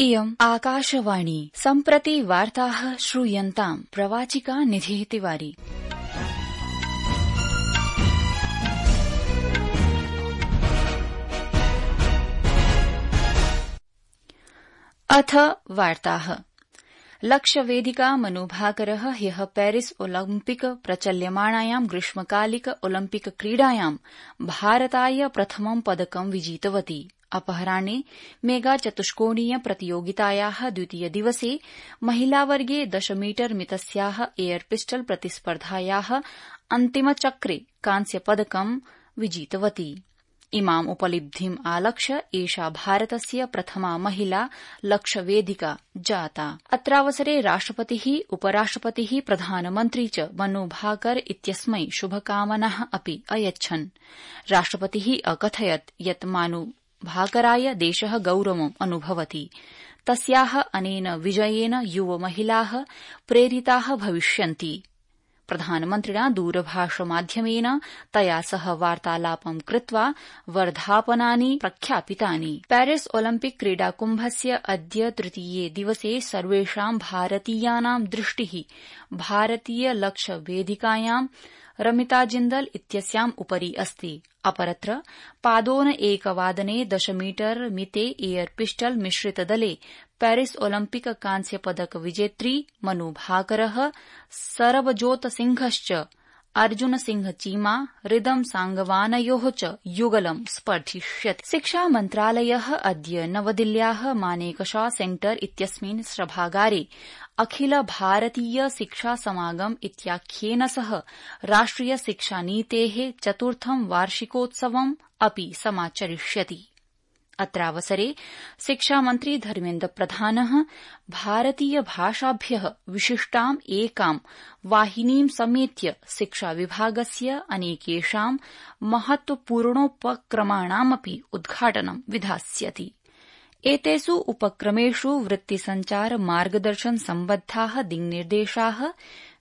इयम् आकाशवाणी सम्प्रति वार्ताः श्रूयन्ताम् प्रवाचिका निधिः तिवारी। अथ वार्ताः। लक्ष्यवेदिका मनुभाकरः ह्यः पेरिस ओलम्पिक प्रचल्यमाणायां ग्रीष्मकालिक ओलम्पिक क्रीडायां भारताय प्रथमं पदकं विजितवती। अपराह्ने मेगा चतुष्कोणीय प्रतियोगितायाः द्वितीय दिवसे महिलावर्गे 10 मीटर मितस्याः एयर पिस्टल प्रतिस्पर्धायाः अन्तिमचक्रे कांस्यपदकं विजितवती। इमाम् उपलब्धिम् आलक्ष्य एषा भारतस्य प्रथमा महिला लक्ष्यवेदिका जाता। अत्रावसरे राष्ट्रपतिः, उपराष्ट्रपतिः, प्रधानमन्त्री च मनुभाकर इत्यस्मै शुभकामनाः अपि अयच्छन्। राष्ट्रपतिः अकथयत् यत् मनुभाकराय देशः गौरवम् अनुभवति। तस्याः अनेन विजयेन युवमहिलाः प्रेरिताः भविष्यन्ति। प्रधानमन्त्रिणा दूरभाषमाध्यमेन तया सह वार्तालापं कृत्वा वर्धापनानि प्रख्यापितानि। पेरिस ओलम्पिक क्रीडाकुम्भस्य अद्य तृतीये दिवसे सर्वेषां भारतीयानां दृष्टिः भारतीय लक्ष्यवेदिकायां रमिता जिन्दल इत्यस्याम् उपरि अस्ति। अपरत्र पादोन एकवादने 10 मीटर मिते एयर पिस्टल मिश्रितदले पेरिस ओलम्पिक कांस्यपदक विजेत्री मनुभाकरः, सरबजोत सिंहश्च अर्जुन सिंह चीमा, रिदम सांगवानयोः च युगलं स्पर्धिष्यति। शिक्षा मन्त्रालयः अद्य नवदिल्ल्याः मानेकशॉ सेंटर इत्यस्मिन् सभागारे अखिल भारतीय शिक्षा समागम इत्याख्येन सह राष्ट्रिय शिक्षा नीतेः चतुर्थं वार्षिकोत्सवम् अपि समाचरिष्यति। अत्रावसरे शिक्षामन्त्री धर्मेन्द्र प्रधानः भारतीय भाषाभ्यः विशिष्टाम् एकां वाहिनीं समेत्य शिक्षा विभागस्य अनेकेषां महत्वपूर्णोपक्रमाणामपि उद्घाटनं विधास्यति। एतेषु उपक्रमेषु वृत्तिसञ्चार मार्गदर्शन सम्बद्धाः दिङ्निर्देशाः,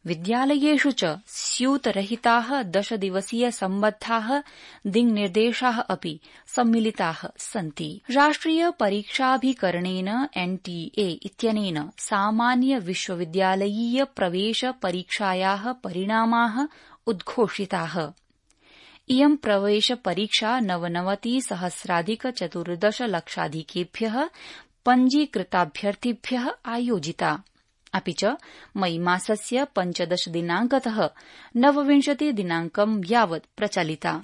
विद्यालयेषु च स्यूतरहिताः 10 दिवसीय सम्बद्धाः दिङ्निर्देशाः अपि सम्मिलिताः सन्ति। राष्ट्रिय परीक्षाभिकरणेन एनटीए इत्यनेन सामान्य विश्वविद्यालयीय प्रवेश परीक्षायाः परिणामाः उद्घोषिताः। इयं प्रवेश परीक्षा 99,014 लक्षाधिकेभ्यः पञ्जीकृताभ्यर्थिभ्यः आयोजिता। अपि च मई मासस्य 15 दिनांकतः 29 दिनांकं यावत् प्रचलिता,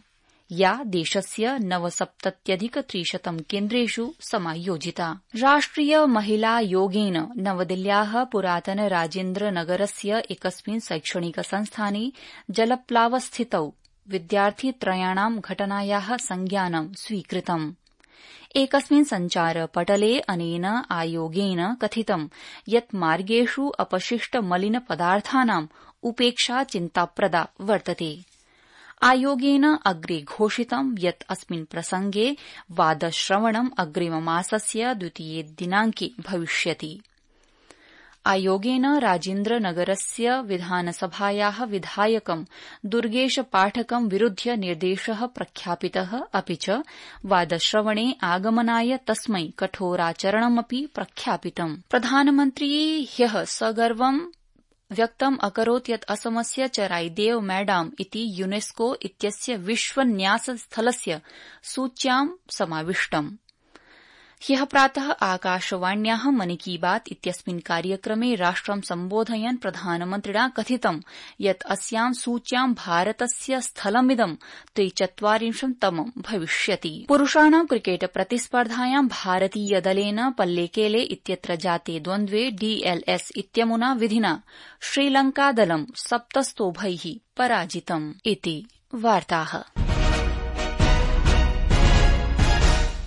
या देशस्य 69,300 केन्द्रेषु समायोजिता। राष्ट्रिय महिला योगेन नवदिल्ल्याः पुरातन राजेन्द्र नगरस्य एकस्मिन् शैक्षणिक संस्थाने जलप्लावस्थितौ विद्यार्थित्रयाणां घटनायाः संज्ञानं स्वीकृतम्। एकस्मिन् सञ्चारपटले अनेन आयोगेन कथितं यत् मार्गेषु अपशिष्ट मलिन पदार्थानाम् उपेक्षा चिन्ताप्रदा वर्तते। आयोगेन अग्रे घोषितं यत् अस्मिन् प्रसंगे वादश्रवणम् अग्रिममासस्य 2 दिनांके भविष्यति। आयोगेन राजेन्द्रनगरस्य विधानसभायाः विधायकं दुर्गेश पाठकं विरुध्य निर्देशः प्रख्यापितः। अपि च वादश्रवणे आगमनाय तस्मै कठोराचरणमपि प्रख्यापितम्। प्रधानमन्त्री ह्यः सगर्वं व्यक्तम् अकरोत् यत् असमस्य चराईदेव मैदाम इति यूनेस्को इत्यस्य विश्वन्यासस्थलस्य सूच्यां समाविष्टम्। ह्यः प्रातः आकाशवाण्याः मन की बात इत्यस्मिन् कार्यक्रमे राष्ट्रं सम्बोधयन् प्रधानमन्त्रिणा कथितं यत् अस्यां सूच्यां भारतस्य स्थलमिदं 43तमं भविष्यति। पुरुषाणां क्रिकेट प्रतिस्पर्धायां भारतीयदलेन पल्लेकेले इत्यत्र जाते द्वन्द्वे डीएलएस इत्यमुना विधिना श्रीलंकादलं 7 स्तोभैः पराजितम्। इति वार्ताः।